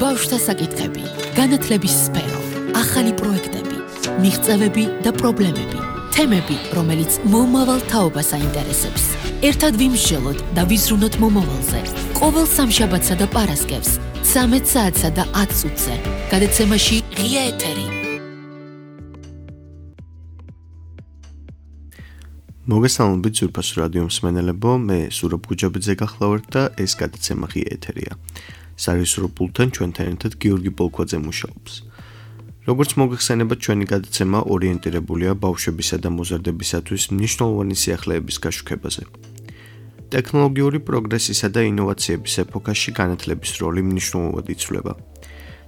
ბავშვთა საკითხები, განათლების სფერო, ახალი პროექტები, მიღწევები და პრობლემები, თემები, რომელიც მომავალ თაობას აინტერესებს. ერთად ვიმსჯელოთ და ვიზრუნოთ მომავალზე. ყოველ სამშაბათსა და პარასკევს, 13 საათსა და 10 წუთზე, გადაცემაში ღია ეთერი. მოგესალმებით ძვირფას რადიო მსმენელებო, მე სურაბ გუჯაბიძე გახლავართ და ეს გადაცემა ღია ეთერია. სარისურო პულტთან ჩვენთან ერთად გიორგი პოლკვაძე მუშაობს. როგორც მოგეხსენებათ, ჩვენი გადაცემა ორიენტირებულია ბავშვებისა და მოზარდებისათვის მნიშვნელოვანი სიახლეების გაშუქებაზე. ტექნოლოგიური პროგრესისა და ინოვაციების ეპოქაში განათლების როლი მნიშვნელოვნად იცვლება.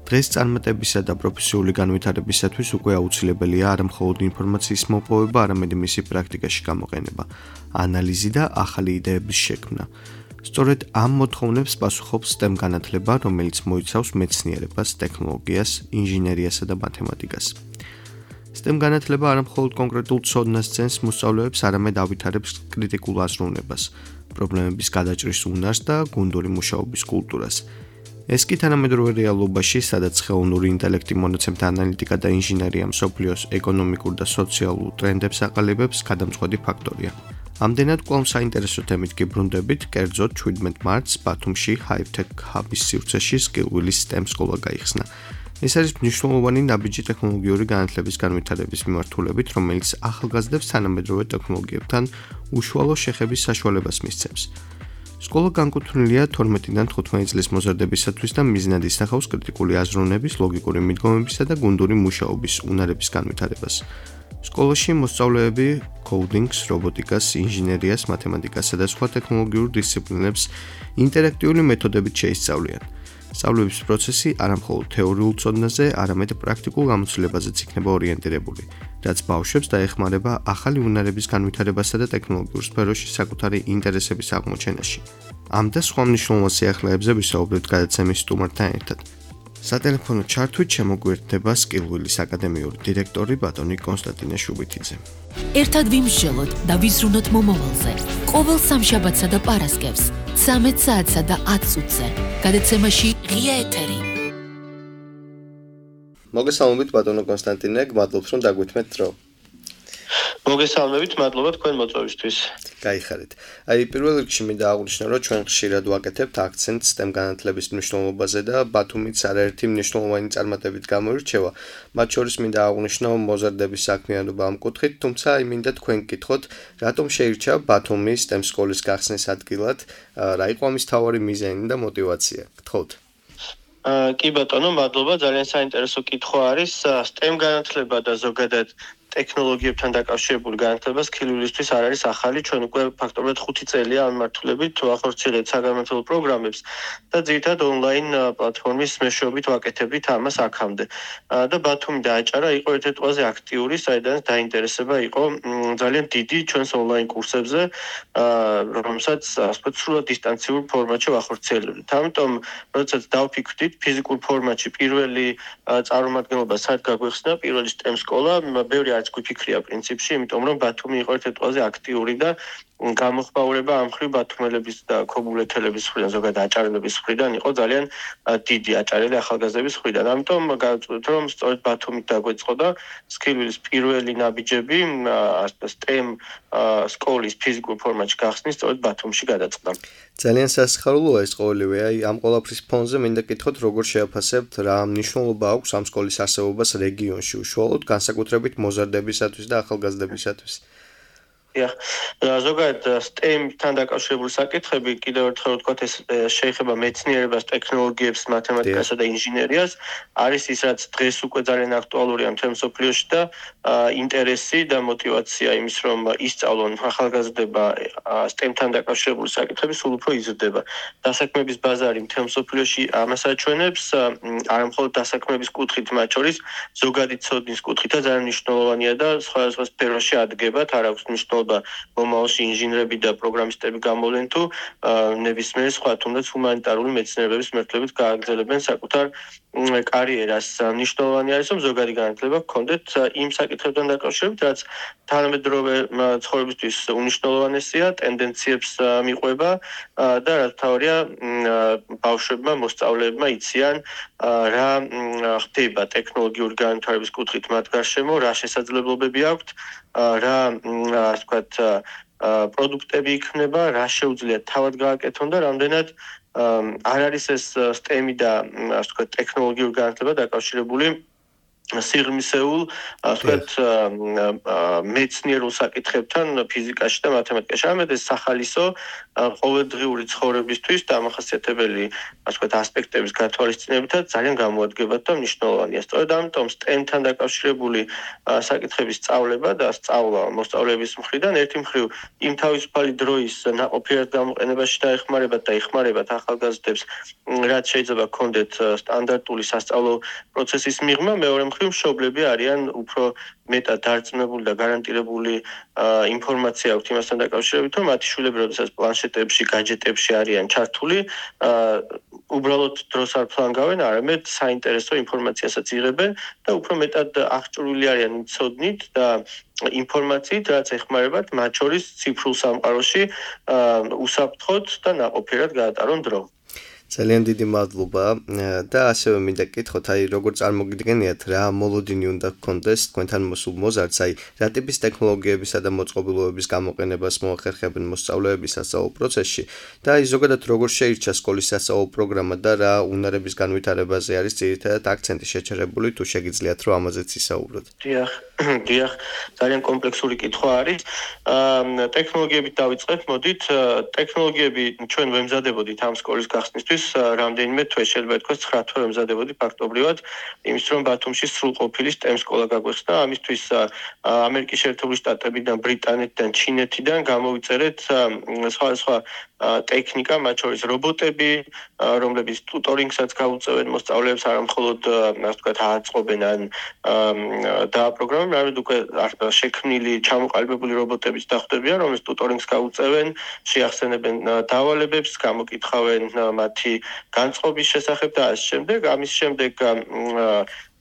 დღეს წარმატებისა და პროფესიული განვითარებისათვის უკვე აუცილებელია არა მხოლოდ ინფორმაციის მოპოვება, არამედ მისი პრაქტიკაში გამოყენება, ანალიზი და ახალი იდეების შექმნა. სწორედ ამ მოთხოვნებს პასუხობს STEM განათლება, რომელიც მოიცავს მეცნიერებას, ტექნოლოგიას, ინჟინერიასა და მათემატიკას. STEM განათლება არა მხოლოდ კონკრეტულ ცოდნას ძენს მოსწავლეებს, არამედ ავითარებს კრიტიკულ აზროვნებას, პრობლემების გადაჭრის უნარს და გუნდური მუშაობის კულტურას. ეს კი თანამედროვე რეალობაში, სადაც ხელოვნური ინტელექტი მონაცემთა ანალიტიკა და ინჟინერია მსოფლიოს ეკონომიკურ და სოციალურ ტრენდებს აყალიბებს, გადამწყვეტი ფაქტორია. ამდენად კვლავ საინტერესო თემით გიბრუნდებით, კერძოდ 17 მარტს ბათუმში HiveTech Hub-ის სივრცეში SkillWheel-ის STEM სკოლა გაიხსნა. ეს არის მნიშვნელოვანი ნაბიჯი ტექნოლოგიური განათლების განვითარების მიმართულებით, რომელიც ახალგაზრდებს თანამედროვე ტექნოლოგიებთან უშუალო შეხების საშუალებას მისცემს. სკოლა განკუთვნილია 12-დან 15 წლის მოზარდებისათვის და მიზნად ისახავს კრიტიკული აზროვნების, ლოგიკური მიდგომებისა და გუნდური მუშაობის უნარების განვითარებას. სკოლაში მოსწავლეები კოდინგს, რობოტიკას, ინჟინერიას, მათემატიკასა და სხვა ტექნოლოგიურ დისციპლინებს ინტერაქტიული მეთოდებით შეისწავლიან. სწავლების პროცესი არა მხოლოდ თეორიულ ცოდნაზე, არამედ პრაქტიკულ გამოცდილებაზეც იქნება ორიენტირებული, რაც ბავშვებს დაეხმარება ახალი უნარების განვითარებასა და ტექნოლოგიურ სფეროში საკუთარი ინტერესების აღმოჩენაში. ამ და სხვა მნიშვნელოვან სიახლეებზე ვისაუბრებთ გადაცემის სტუმართან ერთად. სატელეფონო ჩართვით შემოგვიერთდება SkillWheel-ის აკადემიური დირექტორი ბატონი კონსტანტინე შუბითიძე. ერთად ვიმსჯელოთ და ვიზრუნოთ მომავალზე. ყოველ სამშაბათსა და პარასკევს, 13 საათსა და 10 წუთზე, გადაცემაში ღია ეთერი. მოგესალმებით ბატონო კონსტანტინე, გმადლობთ რომ დაგვითმეთ დრო. მოგესალმებით, მადლობა თქვენ მოწვევისთვის. გაიხარეთ. პირველ რიგში მინდა აღვნიშნო, რომ ჩვენ ხშირად ვაკეთებთ აქცენტს STEM განათლების მნიშვნელობაზე და ბათუმიც არაერთი მნიშვნელოვანი წარმატებით გამოირჩევა. მათ შორის მინდა აღვნიშნო მოზარდების საქმიანობა ამ კუთხით, თუმცა მინდა თქვენ გკითხოთ, რატომ შეირჩა ბათუმი STEM სკოლის გახსნის ადგილად, რა იყო ამის მთავარი მიზანი და мотиваცია? გთხოვთ. კი ბატონო, მადლობა, ძალიან საინტერესო კითხვა არის. STEM განათლება და ზოგადად ტექნოლოგიებთან დაკავშირებული განათლება SkillWheel-ისთვის არ არის ახალი, ჩვენ უკვე ფაქტობრივად 5 წელია ამმართველებით ვახორციელებთ საგანმანათლებლო პროგრამებს და ძირითადად ონლაინ პლატფორმის მეშვეობით ვაკეთებთ ამას აქამდე. და ბათუმი დააჭარა, იყო ერთ-ერთი ყველაზე აქტიური, საიდანაც დაინტერესება იყო ძალიან დიდი ჩვენს ონლაინ კურსებზე, რომელსაც ასე ვთქვათ, სრულად დისტანციურ ფორმატში ვახორციელებთ. ამიტომ, როდესაც დავფიქრდით ფიზიკურ ფორმატში პირველი წარმომადგენლობა სად გაგვეხსნა, პირველი STEM სკოლა, ბევრი არც გვიფიქრია პრინციპში, იმიტომ რომ ბათუმი იყო ერთ-ერთი ყველაზე აქტიური და გამოხმაურება ამ მხრივ ბათუმელების და ქობულეთელების მხრიდან, ზოგადად აჭარელების მხრიდან იყო ძალიან დიდი აჭარელი ახალგაზრდების მხრიდან. ამიტომ გავწყვეტ, რომ სწორედ ბათუმით დაგვეწყო და SkillWheel-ის პირველი ნაბიჯები STEM სკოლის ფიზიკურ ფორმატში გახსნის სწორედ ბათუმში გადაწყდა. ძალიან სასიხარულოა ეს ყოველივე. ამ ყველაფრის ფონზე მინდა გკითხოთ, როგორ შეაფასებთ, რა მნიშვნელობა აქვს ამ სკოლის არსებობას რეგიონში, უშუალოდ განსაკუთრებით მოზარდებისათვის და ახალგაზრდებისათვის. ზოგადად STEM-თან დაკავშირებული საკითხები, კიდევ ერთხელ ვთქვათ, ეს შეეხება მეცნიერებას, ტექნოლოგიებს, მათემატიკასა და ინჟინერიას, არის ის, რაც დღეს უკვე ძალიან აქტუალურია მთელ მსოფლიოში და ინტერესი და мотиваცია იმის, რომ ისწავლონ ახალგაზრდება STEM-თან დაკავშირებული საკითხები სულ უფრო იზრდება. დასაქმების ბაზარი მთელ მსოფლიოში ამას აჩვენებს, არა მხოლოდ დასაქმების კუთხით, მათ შორის ზოგადი ცოდნის კუთხითაც ძალიან მნიშვნელოვანია და სხვადასხვა სფეროში ადგებათ, არ აქვს მნიშვნელობა მცდელობა მომავალში ინჟინრები და პროგრამისტები გამოვლენ თუ ნებისმიერი სხვა თუნდაც ჰუმანიტარული მეცნიერებების მართლებით გააგრძელებენ საკუთარ კარიერას. მნიშვნელოვანი არის რომ ზოგადი განათლება გქონდეთ იმ საკითხებთან დაკავშირებით, რაც თანამედროვე ცხოვრებისთვის უნიშნულოვანესია, ტენდენციებს მიყვება და რაც თავია ბავშვებმა, მოსწავლეებმა იციან რა ხდება ტექნოლოგიური განვითარების კუთხით მათ გარშემო, რა შესაძლებლობები აქვთ, რა ასე ვთქვათ პროდუქტები იქნება, რა შეუძლიათ თავად გააკეთონ და რამდენად არ არის ეს STEM და ასე ვთქვათ ტექნოლოგიური განათლება დაკავშირებული სიღრმისეულ, ასე ვთქვათ, მეცნიერულ საკითხებთან ფიზიკაში და მათემატიკაში. ამეთ ეს სახალისო ყოველდღიური ცხოვრებისთვის დამახასიათებელი, ასე ვთქვათ, ასპექტების გათვალისწინებითაც ძალიან გამოადგებათ და მნიშვნელოვანია. სწორედ ამიტომ STEM-თან დაკავშირებული საკითხების სწავლება და სწავლა მოსწავლეების მხრიდან ერთი მხრივ იმ თავისუფალი დროის ნაყოფიერად გამოყენებაში დაეხმარებათ და ეხმარებათ ახალგაზრდებს, რაც შეიძლება გქონდეთ სტანდარტული სასწავლო პროცესის მიღმა, მეორე მშობლები არიან უფრო მეტად დარწმუნებული და გარანტირებული ინფორმაცია აქვთ იმასთან დაკავშირებით, რომ მათი შვილები როდესაც პლანშეტებში, гаджеტებში არიან ჩართული, უბრალოდ დროს არ ფლანგავენ, არამედ საინტერესო ინფორმაციასაც იღებენ და უფრო მეტად აღჭურვილი არიან ცოდნით და ინფორმაციით, რაც ეხმარებათ მათ შორის ციფრულ სამყაროში უსაფრთხოდ და ნაყოფიერად გაატარონ დრო. ძალიან დიდი მადლობა და ასევე მინდა გკითხოთ, როგორ წარმოგიდგენიათ რა მოლოდინი უნდა გქონდეს თქვენთან მოსულ მოზარდს, რა ტიპის ტექნოლოგიებისა და მოწყობილობების გამოყენებას მოახერხებენ მოსწავლეები სასწავლო პროცესში და ზოგადად როგორ შეირჩა სკოლის სასწავლო პროგრამა და რა უნარების განვითარებაზე არის ძირითადად აქცენტი შეჩერებული, თუ შეგიძლიათ რომ ამაზეც ისაუბროთ. დიახ, ძალიან კომპლექსური კითხვა არის. ტექნოლოგიებით დავიწყეთ, მოდით, ტექნოლოგიები ჩვენ ვემზადებოდით ამ სკოლის გახსნისთვის რამდენიმე თვე, შეიძლება ითქვას 9 თვე ვემზადებოდი ფაქტობრივად, იმის რომ ბათუმში სრულყოფილი STEM სკოლა გაგვეხსნა. ამისთვის ამერიკის შეერთებული შტატებიდან, ბრიტანეთიდან, ჩინეთიდან გამოვიწერეთ სხვადასხვა ტექნიკა, მათ შორის რობოტები, რომლებიც ტუტორინგსაც გაუწევენ მოსწავლეებს, არა მხოლოდ ასე ვთქვათ, აწყობენ ან დააპროგრამებენ, არამედ უკვე შექმნილი, ჩამოყალიბებული რობოტებიც დახვდებიან, რომლებიც ტუტორინგს გაუწევენ, შეახსენებენ დავალებებს, გამოკითხავენ მათი განწყობის შესახებ და ასე შემდეგ. ამის შემდეგ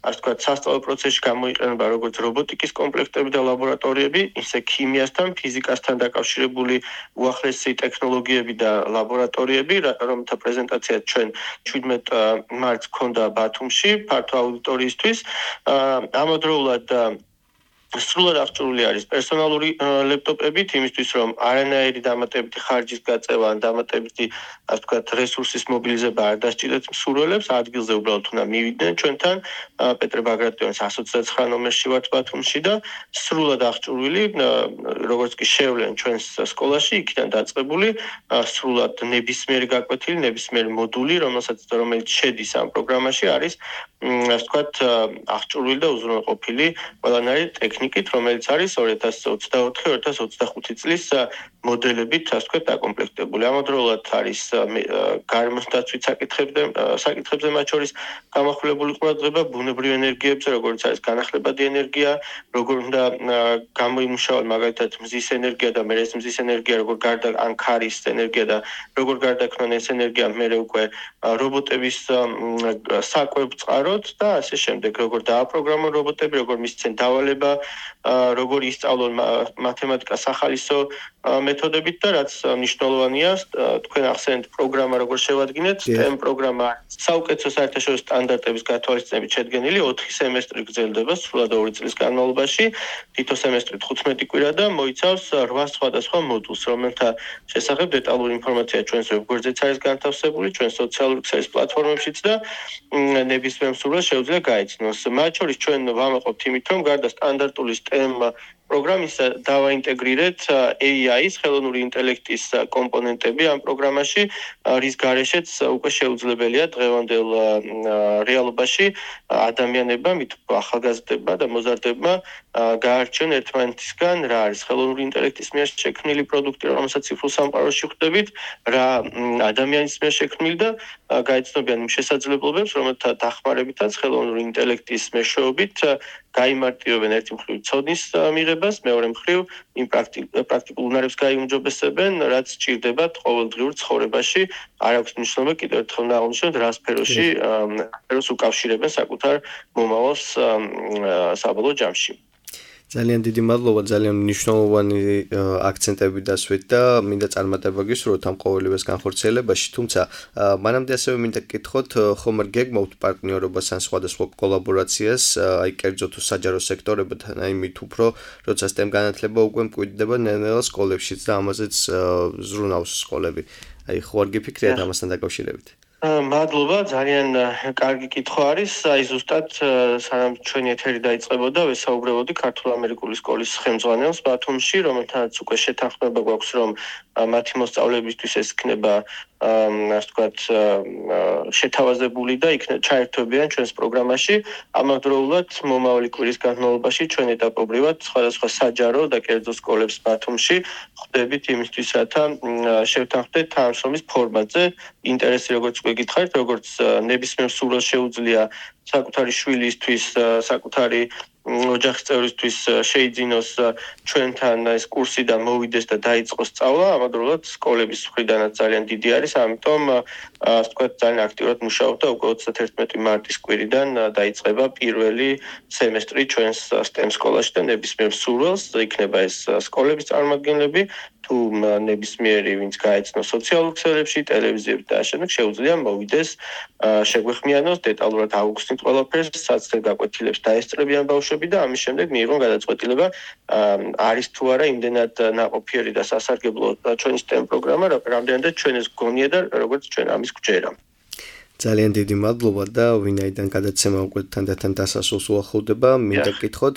ასე ვთქვათ, სასწავლო პროცესში გამოიყენება როგორც რობოტიკის კომპლექტები და ლაბორატორიები, ისე ქიმიასთან, ფიზიკასთან დაკავშირებული უახლესი ტექნოლოგიები და ლაბორატორიები, რომელთა პრეზენტაციაც ჩვენ 17 მარტს გქონდა ბათუმში, ფართო აუდიტორიისთვის. ამავდროულად სრულად აღჭურვილი არის პერსონალური ლეპტოპებით, იმისთვის რომ არანაირი დამატებითი ხარჯის გაწევა ან დამატებითი, ასე ვთქვათ, რესურსის მობილიზება არ დასჭირდეთ მსურველებს, ადგილზე უბრალოდ უნდა მივიდნენ ჩვენთან, პეტრე ბაგრატიონის 129 ნომერში ვართ ბათუმში და სრულად აღჭურვილი, როგორც კი შევლენ ჩვენს სკოლაში, იქიდან დაწყებული, სრულად ნებისმიერი გაკვეთილი, ნებისმიერი მოდული, რომელიც შედის ამ პროგრამაში, არის, ასე ვთქვათ, აღჭურვილი და უზრუნველყოფილი ყველანაირი ტექნიკით, რომელიც არის 2024-2025 წლის მოდელებით, ასე ვთქვათ, დაკომპლექტებული. ამავდროულად არის გარემოს დაცვის საკითხებზე მათ შორის გამახვილებული ყურადღება ბუნებრივ ენერგიებზე, როგორც არის განახლებადი ენერგია, როგორ უნდა გამოიმუშაოს მაგალითად მზის ენერგია და მერე მზის ენერგია, როგორ გარდა ან ქარის ენერგია და როგორ გარდაქმნან ეს ენერგია მერე უკვე რობოტების საკვებ წყაროთ და ასე შემდეგ, როგორ დააპროგრამონ რობოტები, როგორ მისცენ დავალება, როგორ ისწავლონ მათემატიკას სახალისო მეთოდებით და რაც მნიშვნელოვანია, თქვენ ახსენეთ პროგრამა როგორ შევადგინეთ, STEM პროგრამა საუკეთესო საერთაშორისო სტანდარტების გათვალისწინებით შედგენილი 4 სემესტრი გრძელდება სრულად 2 წლის განმავლობაში, თითო სემესტრი 15 კვირა და მოიცავს 8 სხვადასხვა მოდულს, რომელთა შესახებ დეტალური ინფორმაცია ჩვენს ვებგვერდზეც არის განთავსებული, ჩვენ სოციალური ქსელის პლატფორმებშიც და ნებისმიერ მსურველს შეუძლია გაიცნოს. მათ შორის ჩვენ ვამაყობთ იმით, რომ გარდა სტანდარტული STEM პროგრამისა დავაინტეგრირეთ AI-ის, ხელოვნური ინტელექტის კომპონენტები ამ პროგრამაში, რის გარეშეც უკვე შეუძლებელია დღევანდელ რეალობაში ადამიანებმა, ახალგაზრდებმა და მოზარდებმა გაარჩიონ ერთმანეთისგან რა არის ხელოვნური ინტელექტის მიერ შექმნილი პროდუქტი, რომელსაც ციფრულ სამყაროში ხვდებით, რა ადამიანის მიერ შექმნილი და გაიცნობიან იმ შესაძლებლობებს, რომელთა დახმარებითაც ხელოვნური ინტელექტის მეშვეობით გაიმარტივებენ ერთი მხრივ ცოდნის მიღება განათლებას, მეორე მხრივ იმ პრაქტიკულ უნარებს გაიუმჯობესებენ, რაც სჭირდებათ ყოველდღიურ ცხოვრებაში. არ აქვს მნიშვნელობა კიდევ ერთხელ ნაღვნიშნოთ რა სფეროში სფეროს უკავშირებენ საკუთარ მომავალს საბოლოო ჯამში. ძალიან დიდი მადლობა, ძალიან მნიშვნელოვანი აქცენტები დასვით და მინდა წარმატება გისურვოთ ამ ყოველივეს განხორციელებაში, თუმცა მანამდე ასევე მინდა გკითხოთ, ხომ არ გეგმავთ პარტნიორობას ან სხვადასხვა კოლაბორაციას, აი კერძო თუ საჯარო სექტორებთან, აი მით უფრო, როცა STEM განათლება უკვე მკვიდრდება ნელ-ნელა სკოლებშიც და ამაზეც ზრუნავს სკოლები. აი ხო არ გიფიქრიათ ამასთან დაკავშირებით? მადლობა, ძალიან კარგი კითხვა არის. აი ზუსტად სანამ ჩვენი ეთერი დაიწყებოდა, ვესაუბრებოდი ქართულ-ამერიკული სკოლის ხელმძღვანელს ბათუმში, რომელთანაც უკვე შეთანხმება გვაქვს, რომ მათი მოსწავლეებისთვის ეს იქნება ასე ვთქვათ, შეთავაზებული და ჩაერთვებიან ჩვენს პროგრამაში. ამავდროულად მომავალი კვირის განმავლობაში ჩვენ ეტაპობრივად სხვადასხვა საჯარო და კერძო სკოლებს ბათუმში ხვდებით იმისთვის, რათა შევთანხმდეთ თანამშრომლის ფორმატზე. ინტერესი როგორც უკვე გითხარით, როგორც ნებისმიერ სურვილს შეუძლია საკუთარი შვილისთვის, საკუთარი ოჯახის წევრისთვის შეიძინოს ჩვენთან ეს კურსი და მოვიდეს და დაიწყოს სწავლა, ამავდროულად სკოლების მხრიდანაც ძალიან დიდი არის, ამიტომ ასე ვთქვათ, ძალიან აქტიურად მუშაობ და უკვე 31 მარტის კვირიდან დაიწყება პირველი სემესტრი ჩვენს STEM სკოლაში და ნებისმიერ სურვილს, იქნება ეს სკოლების წარმომადგენლები, თუ ნებისმიერი ვინც გაეცნო სოციალურ ქსელებში, ტელევიზიებში და ამავდროულად შეუძლია მოვიდეს, შეგვეხმიანოს დეტალურად აუხსნით ყველაფერს, საცდელ გაკვეთილებს დაესწრებიან ბავშვები და ამის შემდეგ მიიღონ გადაწყვეტილება, არის თუ არა იმდენად ნაყოფიერი და სასარგებლო ჩვენი STEM პროგრამა, რამდენადაც ჩვენ ეს გონია და როგორც ჩვენ ამის გვჯერა. ძალიან დიდი მადლობა და ვინაიდან გადაცემა უკვე თანდათან დასასრულს უახლოვდება, მინდა გკითხოთ,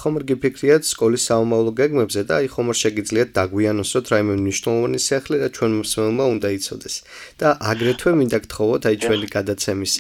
ხომ არ გიფიქრიათ სკოლის საომავლო გეგმებზე და აი ხომ არ შეგიძლიათ დაგვიანოსოთ რაიმე მნიშვნელოვანი სიახლე და ჩვენ მსმენელმა უნდა იცოდეს. და აგრეთვე მინდა გთხოვოთ, აი ჩვენი გადაცემის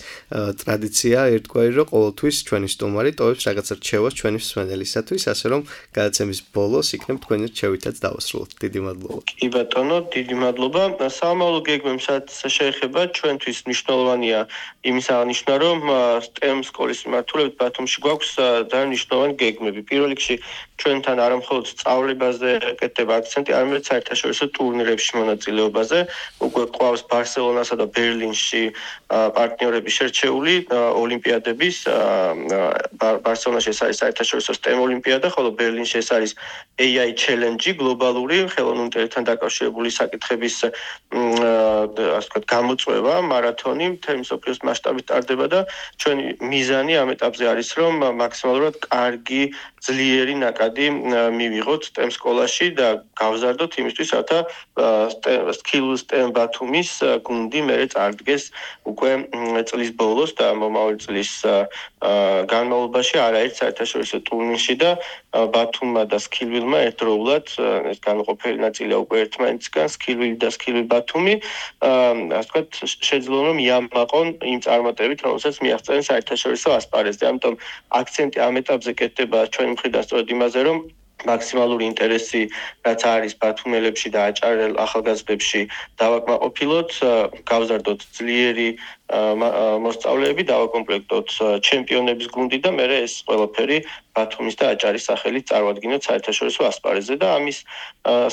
ტრადიცია ერთგვარი, რომ ყოველთვის ჩვენი სტუმარი ტოვებს რაღაც რჩევას ჩვენი მსმენელისათვის, ასე რომ გადაცემის ბოლოს იქნებ თქვენი რჩევითაც დავასრულოთ. დიდი მადლობა. კი ბატონო, დიდი მადლობა. საომავლო გეგმებსაც შეეხება ჩვენთვის მნიშვნელოვანია იმის აღნიშვნა, რომ STEM სკოლის მიმართულებით ბათუმში გვაქვს ძალიან მნიშვნელოვანი გეგმები. პირველ რიგში ჩვენთან არა მხოლოდ სწავლებაზე ეკეთება აქცენტი, არამედ საერთაშორისო ტურნირებში მონაწილეობაზე. უკვე ყავს ბარსელონასა და ბერლინში პარტნიორები შერჩეული ოლიმპიადების. ბარსელონაში ეს არის საერთაშორისო STEM ოლიმპიადა, ხოლო ბერლინში ეს არის AI Challenge, გლობალური ხელოვნურ ინტელექტთან დაკავშირებული საკითხების ასე ვთქვათ, გამოწვევა, მარათონი მთელი მსოფლიოს მასშტაბით ტარდება და ჩვენი მიზანი ამ ეტაპზე არის, რომ მაქსიმალურად კარგი, ძლიერი ნაკადი მივიღოთ STEM სკოლაში და გავზარდოთ იმისთვის, რათა STEM ბათუმის გუნდი მერე წარდგეს უკვე წლის ბოლოს და მომავალი წლის განმავლობაში არაერთ საერთაშორისო ტურნირში და ბათუმმა და SkillWheel-მა ერთდროულად ეს განუყოფელი ნაწილია უკვე ერთმანეთისგან, SkillWheel და SkillWheel ბათუმი, ასე ვთქვათ, შეძლონ რომ იამაყონ იმ წარმატებით, რომელსაც მიაღწევენ საერთაშორისო ასპარეზზე. ამიტომ აქცენტი ამ ეტაპზე კეთდება ჩვენი მხრიდან სწორედ იმაზე, რომ მაქსიმალური ინტერესი, რაც არის ბათუმელებში და აჭარელ ახალგაზრდებში დავაკმაყოფილოთ, გავზარდოთ ძლიერი მოსწავლეები, დავაკომპლექტოთ ჩემპიონების გუნდი და მერე ეს ყველაფერი ბათუმის და აჭარის სახელით წარვადგინოთ საერთაშორისო ასპარეზზე და ამის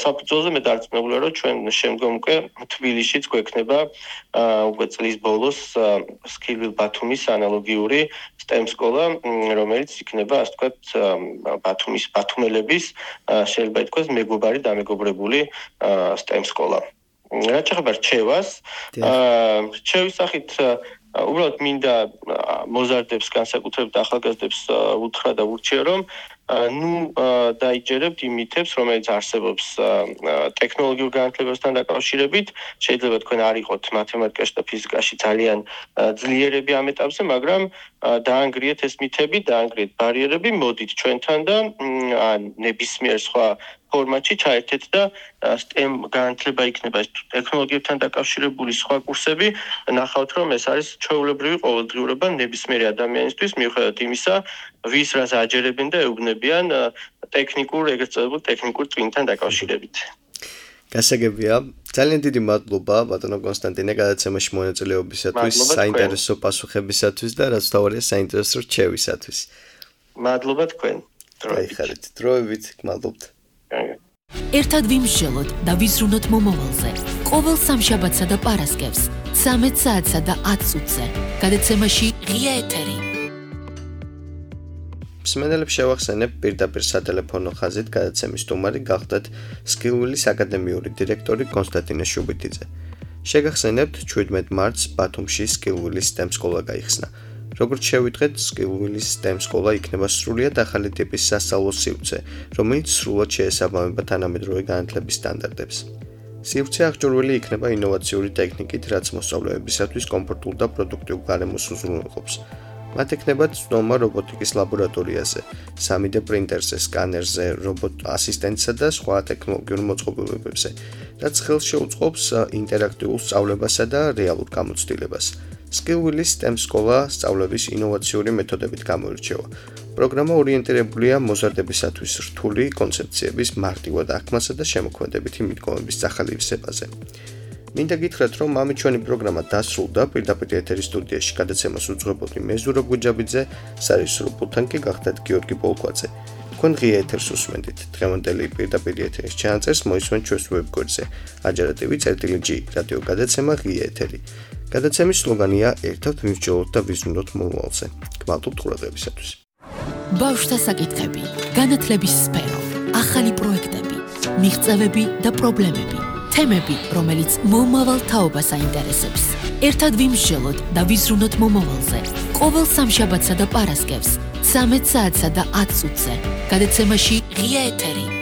საფუძველზე მე დარწმუნებული ვარ, რომ ჩვენ შემდგომ უკვე თბილისშიც გვექნება უკვე წლის ბოლოს SkillWheel ბათუმის ანალოგიური STEM სკოლა, რომელიც იქნება, ასე ვთქვათ, ბათუმის ბათუმელების შეიძლება ითქვას მეგობარი დამეგობრებული STEM სკოლა. რაც შეეხება რჩევას, რჩევის სახით უბრალოდ მინდა მოზარდებს, განსაკუთრებით ახალგაზრდებს უთხრა და ვურჩიო, რომ დაიჯერებთ იმ მითებს, რომელიც არსებობს ტექნოლოგიურ განათლებასთან დაკავშირებით. შეიძლება თქვენ არ იყოთ მათემატიკაში და ფიზიკაში ძალიან ძლიერები ამ ეტაპზე, მაგრამ დაანგრიეთ ეს მითები, დაანგრიეთ ბარიერები, მოდით ჩვენთან და ნებისმიერ სხვა ფორმატში ჩაერთეთ და STEM განათლება იქნება ტექნოლოგიებთან დაკავშირებული სხვა კურსები, ნახავთ რომ ეს არის ჩვეულებრივი ყოველდღიურობა ნებისმიერი ადამიანისთვის, მიუხედავად იმისა, ვის რას აჯერებენ და ეუბნებიან ტექნიკურ, ეგრეთ წოდებულ ტექნიკურ წვინთან დაკავშირებით. გასაგებია, ძალიან დიდი მადლობა ბატონო კონსტანტინე გადაცემაში მონაწილეობისათვის, საინტერესო პასუხებისათვის და რაც თავარია საინტერესო რჩევისათვის. მადლობა თქვენ. გაიხარეთ დროებით, გმადლობთ. ერთად ვიმსჯელოთ და ვიზრუნოთ მომავალზე. ყოველ სამშაბათსა და პარასკევს 13 საათსა და 10 წუთზე. გადაცემაში ღია ეთერი. მსმენელებს შევახსენებ პირდაპირ სატელეფონო ხაზით გადაცემის სტუმარი გახდათ სკილვილის აკადემიური დირექტორი კონსტანტინე შუბიტიძე. შეგახსენებთ 17 მარტს ბათუმში სკილვილის STEM სკოლა გაიხსნა. როგორც შევიტყვეთ, სკილვილის STEM სკოლა იქნება სრულიად ახალი ტიპის სასწავლო სივრცე, რომელიც სრულად შეესაბამება თანამედროვე განათლების სტანდარტებს. სივრცე აღჭურვილი იქნება ინოვაციური ტექნიკით, რაც მოსწავლეებისათვის კომფორტულ და პროდუქტიულ გარემოს უზრუნველყოფს. მათ ექნებათ ცნობა რობოტიკის ლაბორატორიაზე, 3D პრინტერზე, სკანერზე, რობოტ ასისტენტსა და სხვა ტექნოლოგიურ მოწყობილობებზე, რაც ხელს შეუწყობს ინტერაქტიულ სწავლებასა და რეალურ გამოცდილებას. სკილვილის STEM სკოლა სწავლების ინოვაციური მეთოდებით გამოირჩევა. პროგრამა ორიენტირებულია მოზარდებისათვის რთული კონცეფციების მარტივად აღქმასა და შემოქმედებითი მიდგომების სახალისებაზე. მინდა გითხრათ, რომ ამით ჩვენი პროგრამა დასრულდა. პირდაპირ ეთერის სტუდიაში გადაცემას უძღვებოდი მე ზურაბ გუჯაბიძე, სარისურო პულტთან კი გახდათ გიორგი პოლკვაძე. თქვენ ღია ეთერს უსმენთ. დღევანდელი პირდაპირ ეთერის ჩანაწერს მოისმენთ ჩვენს ვებგვერდზე ajarativi.gi რადიო გადაცემა ღია ეთერი. გადაცემის სლოგანია ერთად ვიმსჯელოთ და ვიზრუნოთ მომავალზე. გმადლობთ ყურადღებისათვის. ბავშვთა საკითხები, განათლების სფერო, ახალი პროექტები, მიღწევები და პრობლემები. თემები, რომელიც მომავალ თაობას აინტერესებს. ერთად ვიმსჯელოთ და ვიზრუნოთ მომავალზე. ყოველ სამშაბათსა და პარასკევს 13 საათსა და 10 წუთზე. გადაცემაში ღია ეთერი.